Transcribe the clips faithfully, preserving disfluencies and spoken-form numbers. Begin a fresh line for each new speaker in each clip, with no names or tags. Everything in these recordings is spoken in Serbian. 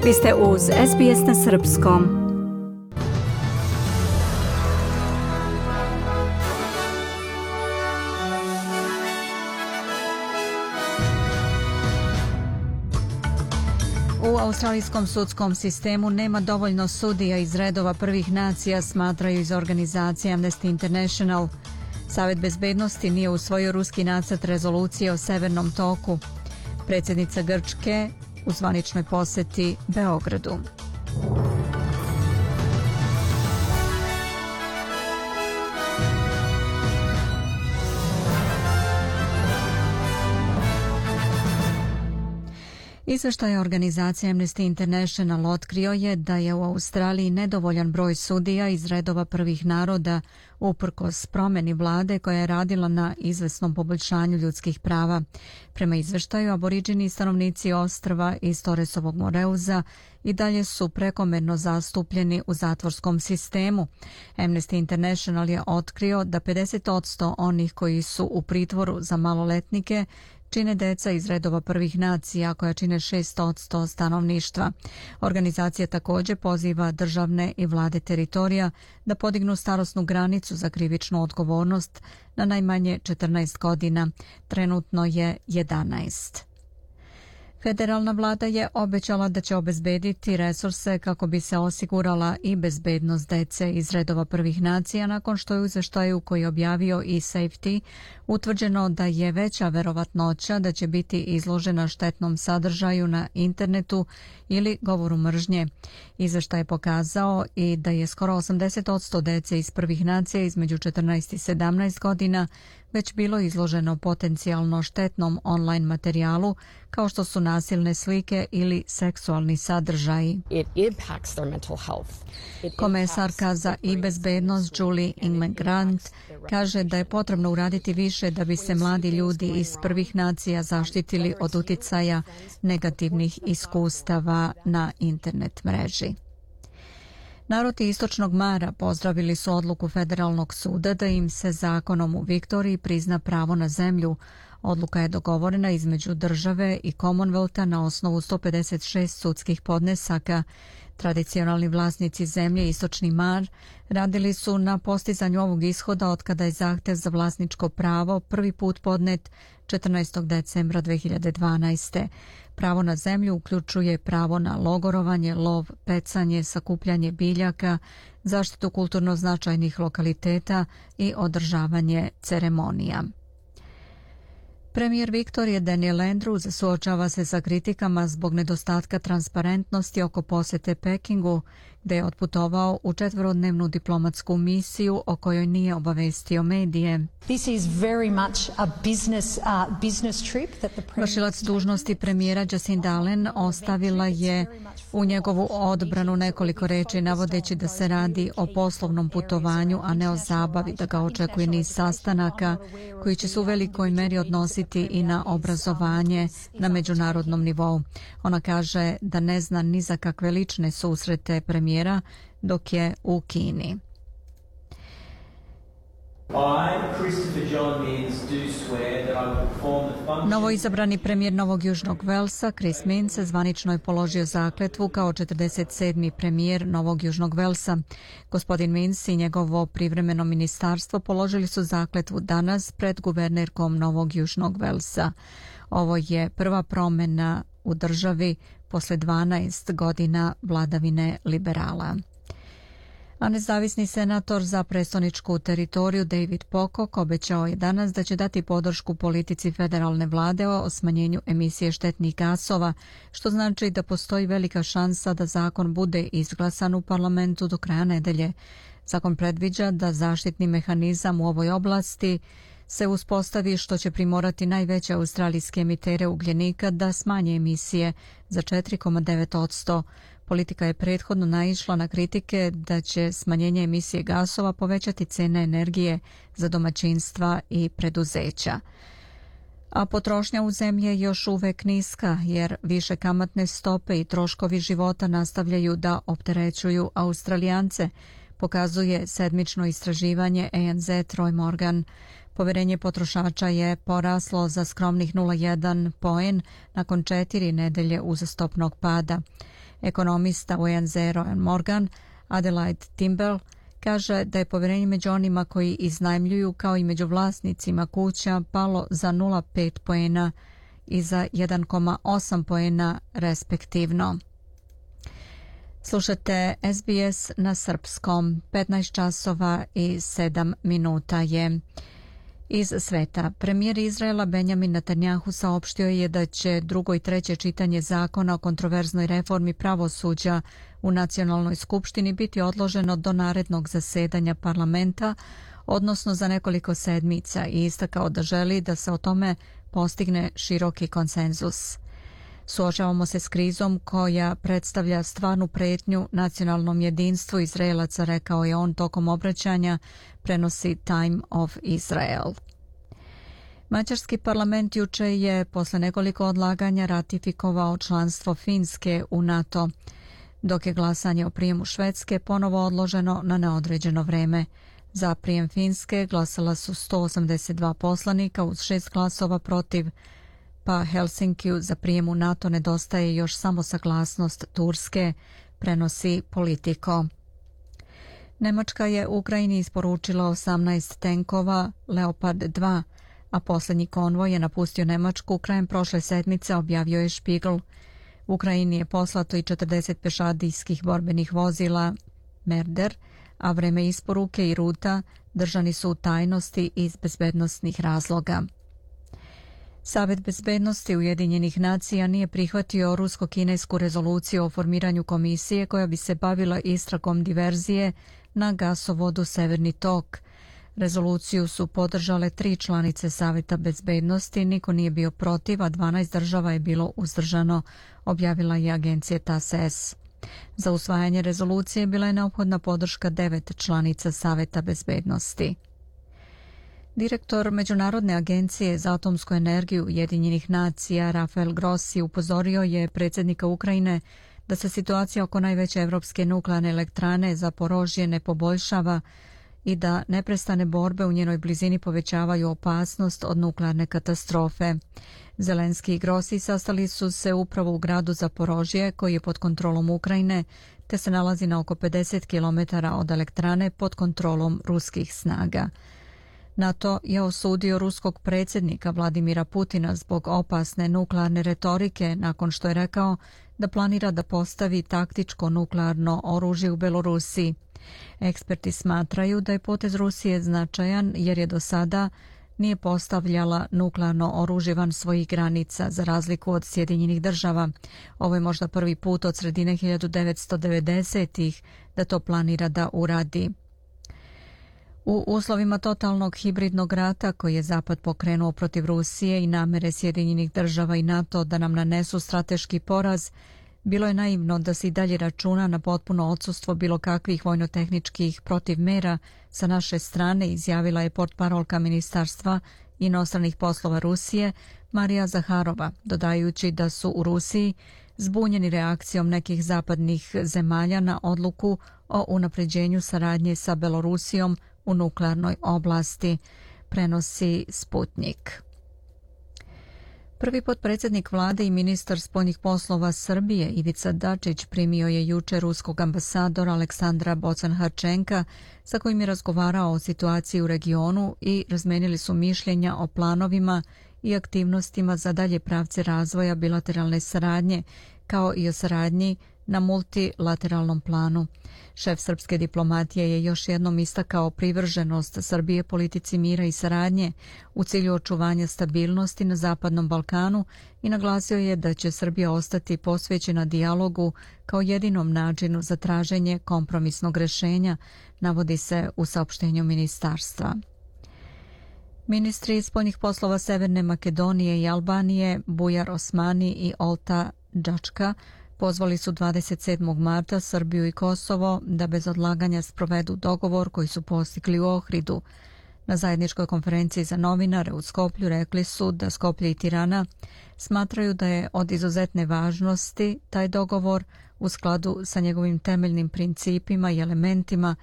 Vi ste uz S B S na srpskom. U australijskom sudskom sistemu nema dovoljno sudija iz redova prvih nacija, smatraju iz organizacije Amnesty International. Savet bezbednosti nije usvojio ruski nacrt rezolucije o Severnom toku. Predsjednica Grčke u zvaničnoj posjeti Beogradu. Izveštaj organizacije Amnesty International otkrio je da je u Australiji nedovoljan broj sudija iz redova prvih naroda uprkos promjeni vlade koja je radila na izvesnom poboljšanju ljudskih prava. Prema izveštaju, aboriđini stanovnici ostrva iz Torresovog Moreuza i dalje su prekomerno zastupljeni u zatvorskom sistemu. Amnesty International je otkrio da pedeset posto onih koji su u pritvoru za maloletnike čine deca iz redova prvih nacija koja čine šest posto stanovništva. Organizacija također poziva državne i vlade teritorija da podignu starosnu granicu za krivičnu odgovornost na najmanje četrnaest godina. Trenutno je jedanaest. Federalna vlada je obećala da će obezbediti resurse kako bi se osigurala i bezbednost dece iz redova prvih nacija nakon što je u izveštaju koji je objavio eSafety utvrđeno da je veća verovatnoća da će biti izložena štetnom sadržaju na internetu ili govoru mržnje. Izveštaj je pokazao i da je skoro osamdeset posto dece iz prvih nacija između četrnaest i sedamnaest godina već bilo izloženo potencijalno štetnom online materijalu kao što su nasilne slike ili seksualni sadržaji. Komesarka za i bezbednost Julie Ingram-Grant kaže da je potrebno uraditi više da bi se mladi ljudi iz prvih nacija zaštitili od uticaja negativnih iskustava na internet mreži. Narodi Istočnog Mara pozdravili su odluku Federalnog suda da im se zakonom u Viktoriji prizna pravo na zemlju. Odluka je dogovorena između države i Commonwealtha na osnovu sto pedeset šest sudskih podnesaka. Tradicionalni vlasnici zemlje Istočni Mar radili su na postizanju ovog ishoda otkada je zahtev za vlasničko pravo prvi put podnet četrnaestog decembra dve hiljade dvanaeste. Pravo na zemlju uključuje pravo na logorovanje, lov, pecanje, sakupljanje biljaka, zaštitu kulturno značajnih lokaliteta i održavanje ceremonija. Premijer Viktorije Daniel Andrews suočava se sa kritikama zbog nedostatka transparentnosti oko posjete Pekingu, gde je otputovao u četverodnevnu diplomatsku misiju o kojoj nije obavestio medije. Vršilac dužnosti premijera Jacinda Ardern ostavila je u njegovu odbranu nekoliko reči navodeći da se radi o poslovnom putovanju, a ne o zabavi, da ga očekuje niz sastanaka koji će se u velikoj meri odnositi i na obrazovanje na međunarodnom nivou. Ona kaže da ne zna ni za kakve lične susrete premijera dok je u Kini. Novoizabrani premijer Novog Južnog Velsa, Chris Minns, zvanično je položio zakletvu kao četrdeset sedmi premijer Novog Južnog Velsa. Gospodin Minns i njegovo privremeno ministarstvo položili su zakletvu danas pred guvernerkom Novog Južnog Velsa. Ovo je prva promjena u državi posle dvanaest godina vladavine liberala. A nezavisni senator za prestoničku teritoriju David Pocock obećao je danas da će dati podršku politici federalne vlade o smanjenju emisije štetnih gasova, što znači da postoji velika šansa da zakon bude izglasan u parlamentu do kraja nedelje. Zakon predviđa da zaštitni mehanizam u ovoj oblasti se uspostavi što će primorati najveće australijske emitere ugljenika da smanje emisije za četiri zarez devet posto. Politika je prethodno naišla na kritike da će smanjenje emisije gasova povećati cene energije za domaćinstva i preduzeća. A potrošnja u zemlji je još uvek niska jer više kamatne stope i troškovi života nastavljaju da opterećuju Australijance, pokazuje sedmično istraživanje A N Z Roy Morgan. Poverenje potrošača je poraslo za skromnih nula zarez jedan poen nakon četiri nedelje uzastopnog pada. Ekonomista U N Z Morgan Adelaide Timber kaže da je povjerenje među onima koji iznajmljuju kao i među vlasnicima kuća palo za nula zarez pet poena i za jedan zarez osam poena respektivno. Slušate S B S na srpskom. petnaest časova i sedam minuta je. Iz sveta. Premijer Izraela Benjamin Netanjahu saopštio je da će drugo i treće čitanje zakona o kontroverznoj reformi pravosuđa u Nacionalnoj skupštini biti odloženo do narednog zasedanja parlamenta, odnosno za nekoliko sedmica, i istakao da želi da se o tome postigne široki konsenzus. Suočavamo se s krizom koja predstavlja stvarnu pretnju nacionalnom jedinstvu Izraelaca, rekao je on tokom obraćanja, prenosi Time of Israel. Mađarski parlament juče je posle nekoliko odlaganja ratifikovao članstvo Finske u NATO, dok je glasanje o prijemu Švedske ponovo odloženo na neodređeno vreme. Za prijem Finske glasala su sto osamdeset dva poslanika uz šest glasova protiv, pa Helsinkiju za prijem u NATO nedostaje još samo saglasnost Turske, prenosi Politico. Nemačka je Ukrajini isporučila osamnaest tenkova Leopard dva, a posljednji konvoj je napustio Nemačku krajem prošle sedmice, objavio je Spiegel. Ukrajini je poslato i četrdeset pešadijskih borbenih vozila Merder, a vreme isporuke i ruta držani su u tajnosti iz bezbednosnih razloga. Savet bezbednosti Ujedinjenih nacija nije prihvatio rusko-kinesku rezoluciju o formiranju komisije koja bi se bavila istragom diverzije na gasovodu Severni tok. Rezoluciju su podržale tri članice Saveta bezbednosti, niko nije bio protiv, a dvanaest država je bilo uzdržano, objavila je agencija T A S E S. Za usvajanje rezolucije bila je neophodna podrška devet članica Saveta bezbednosti. Direktor Međunarodne agencije za atomsku energiju Ujedinjenih nacija Rafael Grossi upozorio je predsjednika Ukrajine da se situacija oko najveće evropske nuklearne elektrane Zaporožje ne poboljšava i da neprestane borbe u njenoj blizini povećavaju opasnost od nuklearne katastrofe. Zelenski i Grossi sastali su se upravo u gradu Zaporožje, koji je pod kontrolom Ukrajine, te se nalazi na oko pedeset kilometara od elektrane pod kontrolom ruskih snaga. NATO je osudio ruskog predsjednika Vladimira Putina zbog opasne nuklearne retorike nakon što je rekao da planira da postavi taktičko nuklearno oružje u Belorusiji. Eksperti smatraju da je potez Rusije značajan jer je do sada nije postavljala nuklearno oružje van svojih granica, za razliku od Sjedinjenih država. Ovo je možda prvi put od sredine hiljadu devetsto devedesetih da to planira da uradi. U uslovima totalnog hibridnog rata koji je Zapad pokrenuo protiv Rusije i namere Sjedinjenih država i NATO da nam nanesu strateški poraz, bilo je naivno da se i dalje računa na potpuno odsustvo bilo kakvih vojnotehničkih protivmera sa naše strane, izjavila je portparolka Ministarstva inostranih poslova Rusije Marija Zaharova, dodajući da su u Rusiji zbunjeni reakcijom nekih zapadnih zemalja na odluku o unapređenju saradnje sa Belorusijom u nuklearnoj oblasti, prenosi Sputnik. Prvi potpredsjednik vlade i ministar spoljnih poslova Srbije Ivica Dačić primio je juče ruskog ambasadora Aleksandra Bocan-Harčenka, sa kojim je razgovarao o situaciji u regionu i razmenili su mišljenja o planovima i aktivnostima za dalje pravce razvoja bilateralne saradnje, kao i o saradnji na multilateralnom planu. Šef srpske diplomatije je još jednom istakao privrženost Srbije politici mira i saradnje u cilju očuvanja stabilnosti na Zapadnom Balkanu i naglasio je da će Srbija ostati posvećena dijalogu kao jedinom načinu za traženje kompromisnog rješenja, navodi se u saopštenju ministarstva. Ministri spoljnih poslova Severne Makedonije i Albanije Bujar Osmani i Olta Džačka pozvali su dvadeset sedmog marta Srbiju i Kosovo da bez odlaganja sprovedu dogovor koji su postigli u Ohridu. Na zajedničkoj konferenciji za novinare u Skoplju rekli su da Skoplje i Tirana smatraju da je od izuzetne važnosti taj dogovor u skladu sa njegovim temeljnim principima i elementima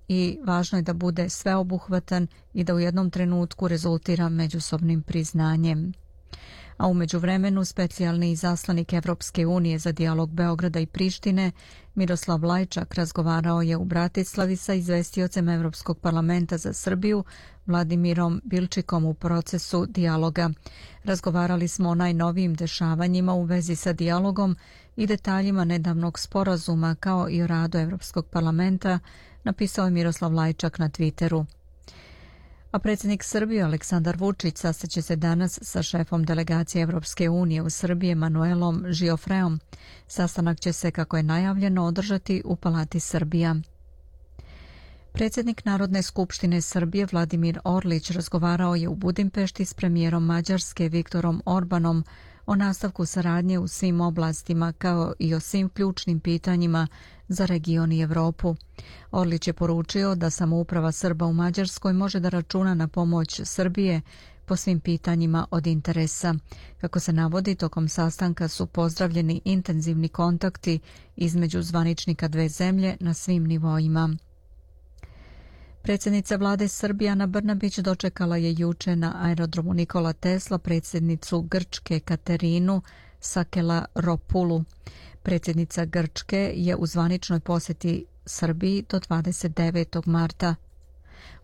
i važno je da bude sveobuhvatan i da u jednom trenutku rezultira međusobnim priznanjem. A u međuvremenu specijalni izaslanik Evropske unije za dijalog Beograda i Prištine Miroslav Lajčak razgovarao je u Bratislavi sa izvestiocem Evropskog parlamenta za Srbiju Vladimirom Bilčikom u procesu dijaloga. Razgovarali smo o najnovijim dešavanjima u vezi sa dijalogom i detaljima nedavnog sporazuma kao i o radu Evropskog parlamenta, napisao je Miroslav Lajčak na Twitteru. A predsjednik Srbije Aleksandar Vučić sastaće se danas sa šefom delegacije Evropske unije u Srbiji Emanuelom Žiofreom. Sastanak će se, kako je najavljeno, održati u Palati Srbija. Predsjednik Narodne skupštine Srbije Vladimir Orlić razgovarao je u Budimpešti s premijerom Mađarske Viktorom Orbanom o nastavku saradnje u svim oblastima kao i o svim ključnim pitanjima za region i Evropu. Orlić je poručio da samouprava Srba u Mađarskoj može da računa na pomoć Srbije po svim pitanjima od interesa. Kako se navodi, tokom sastanka su pozdravljeni intenzivni kontakti između zvaničnika dve zemlje na svim nivoima. Predsjednica vlade Srbije Ana Brnabić dočekala je juče na aerodromu Nikola Tesla predsjednicu Grčke Katerinu Sakelaropulu. Predsjednica Grčke je u zvaničnoj posjeti Srbiji do dvadeset devetog marta.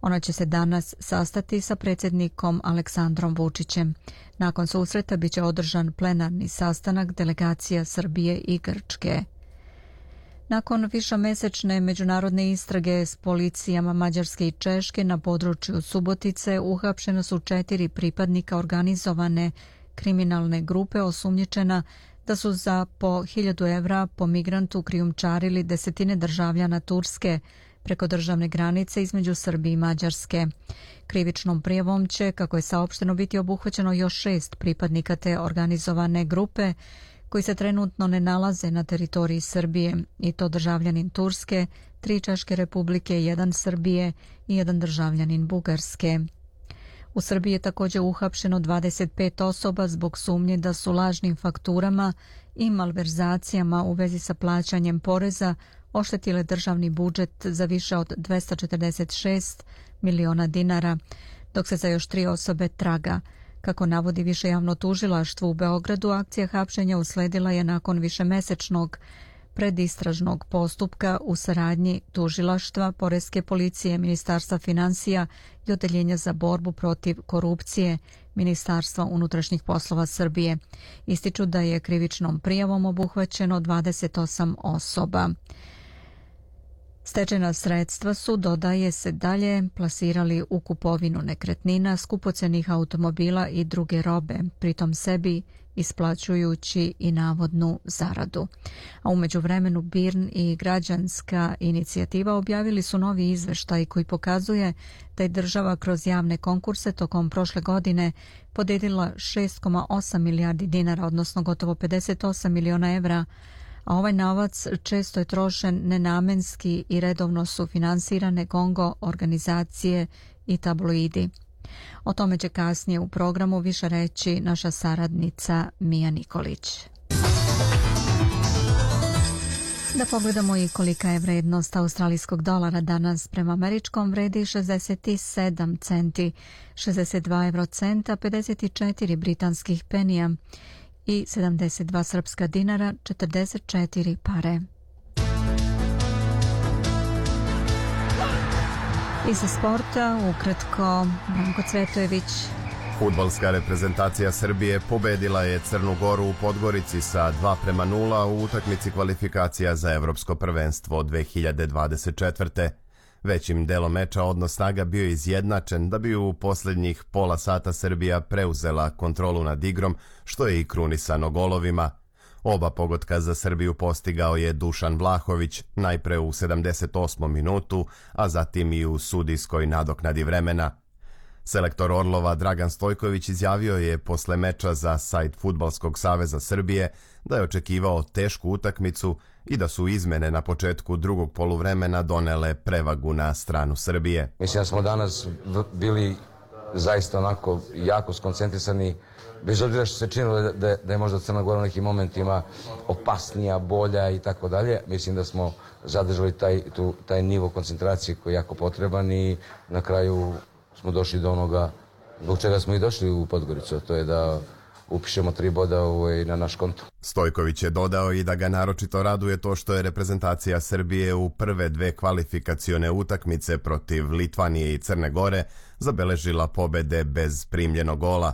Ona će se danas sastati sa predsjednikom Aleksandrom Vučićem. Nakon susreta biće održan plenarni sastanak delegacija Srbije i Grčke. Nakon višemesečne međunarodne istrage s policijama Mađarske i Češke na području Subotice uhapšena su četiri pripadnika organizovane kriminalne grupe osumnjičena da su za po hiljadu evra po migrantu krijumčarili desetine državljana Turske preko državne granice između Srbije i Mađarske. Krivičnom prijavom će, kako je saopšteno, biti obuhvaćeno još šest pripadnika te organizovane grupe koji se trenutno ne nalaze na teritoriji Srbije, i to državljanin Turske, tri Češke republike, jedan Srbije i jedan državljanin Bugarske. U Srbiji je također uhapšeno dvadeset pet osoba zbog sumnje da su lažnim fakturama i malverzacijama u vezi sa plaćanjem poreza oštetile državni budžet za više od dvesta četrdeset šest miliona dinara, dok se za još tri osobe traga. Kako navodi Više javno tužilaštvo u Beogradu, akcija hapšenja usledila je nakon višemesečnog predistražnog postupka u saradnji tužilaštva, poreske policije, Ministarstva finansija i Odeljenja za borbu protiv korupcije Ministarstva unutrašnjih poslova Srbije. Ističu da je krivičnom prijavom obuhvaćeno dvadeset osam osoba. Stečena sredstva su, dodaje se dalje, plasirali u kupovinu nekretnina, skupocenih automobila i druge robe, pritom sebi isplaćujući i navodnu zaradu. A u međuvremenu B I R N i građanska inicijativa objavili su novi izveštaj koji pokazuje da je država kroz javne konkurse tokom prošle godine podijelila šest zarez osam milijardi dinara, odnosno gotovo pedeset osam miliona evra, a ovaj novac često je trošen nenamenski i redovno su finansirane gongo organizacije i tabloidi. O tome će kasnije u programu više reći naša saradnica Mija Nikolić. Da pogledamo i kolika je vrednost australijskog dolara danas. Prema američkom vredi šezdeset sedam centi, šezdeset dva eurocenta, pedeset četiri britanskih penija i sedamdeset dva srpska dinara, četrdeset četiri pare. Iz sporta, ukratko, Branko Cvetojević.
Fudbalska reprezentacija Srbije pobedila je Crnu Goru u Podgorici sa dva prema nula u utakmici kvalifikacija za Evropsko prvenstvo dve hiljade dvadeset četvrte. Većim delom meča odnos snaga bio izjednačen da bi u posljednjih pola sata Srbija preuzela kontrolu nad igrom, što je i krunisano golovima. Oba pogotka za Srbiju postigao je Dušan Vlahović, najpre u sedamdeset osmom minutu, a zatim i u sudijskoj nadoknadi vremena. Selektor Orlova Dragan Stojković izjavio je posle meča za sajt Fudbalskog saveza Srbije da je očekivao tešku utakmicu i da su izmene na početku drugog poluvremena donele prevagu na stranu Srbije.
Mislim da smo danas bili zaista onako jako skoncentrisani, bez obzira što se činilo da, da, da je možda Crna Gora u nekim momentima opasnija, bolja i tako dalje. Mislim da smo zadržali taj, tu, taj nivo koncentracije koji je jako potreban i na kraju smo došli do onoga zbog čega smo i došli u Podgoricu, to je da upišemo tri boda ovaj, na naš konto.
Stojković je dodao i da ga naročito raduje to što je reprezentacija Srbije u prve dve kvalifikacione utakmice protiv Litvanije i Crne Gore zabeležila pobede bez primljenog gola.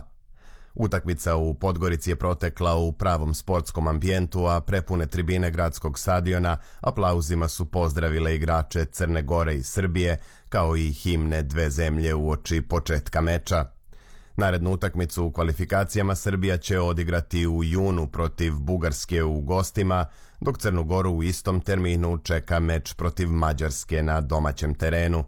Utakmica u Podgorici je protekla u pravom sportskom ambijentu, a prepune tribine gradskog stadiona aplauzima su pozdravile igrače Crne Gore i Srbije, kao i himne dve zemlje uoči početka meča. Narednu utakmicu u kvalifikacijama Srbija će odigrati u junu protiv Bugarske u gostima, dok Crnu Goru u istom terminu čeka meč protiv Mađarske na domaćem terenu.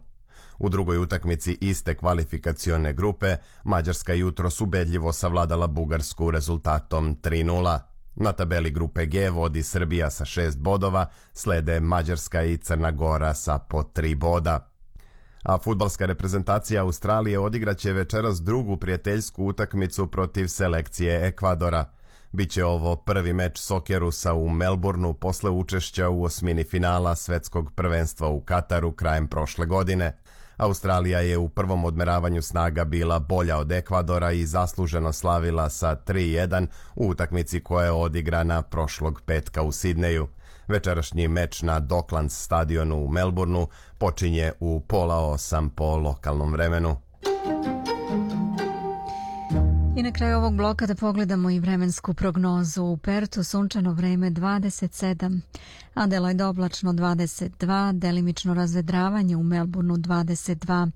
U drugoj utakmici iste kvalifikacione grupe, Mađarska jutros ubedljivo savladala Bugarsku rezultatom tri nula. Na tabeli grupe G vodi Srbija sa šest bodova, slede Mađarska i Crna Gora sa po tri boda. A fudbalska reprezentacija Australije odigraće večeras drugu prijateljsku utakmicu protiv selekcije Ekvadora. Biće ovo prvi meč Sokerusa u Melbourneu posle učešća u osmini finala svetskog prvenstva u Kataru krajem prošle godine. Australija je u prvom odmeravanju snaga bila bolja od Ekvadora i zasluženo slavila sa tri jedan u utakmici koja je odigrana prošlog petka u Sidneju. Večerašnji meč na Docklands stadionu u Melbourneu počinje u pola osam po lokalnom vremenu.
I na kraju ovog bloka da pogledamo i vremensku prognozu. U Pertu sunčano vreme dvadeset sedam, Adelaide oblačno dvadeset dva, delimično razvedravanje u Melbourneu dvadeset dva,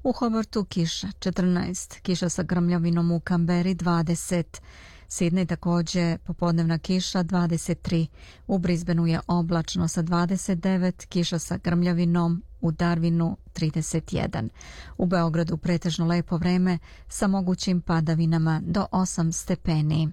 u Hobartu kiša četrnaest, kiša sa grmljavinom u Kamberi dvadeset, Sidney također popodnevna kiša dvadeset tri, u Brisbaneu je oblačno sa dvadeset devet, kiša sa grmljavinom u Darwinu trideset jedan. U Beogradu pretežno lepo vreme sa mogućim padavinama do osam stepeni.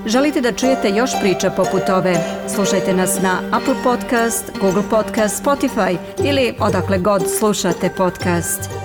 Želite da čujete još priča poput ove? Slušajte nas na Apple Podcast, Google Podcast, Spotify ili odakle god slušate podcast.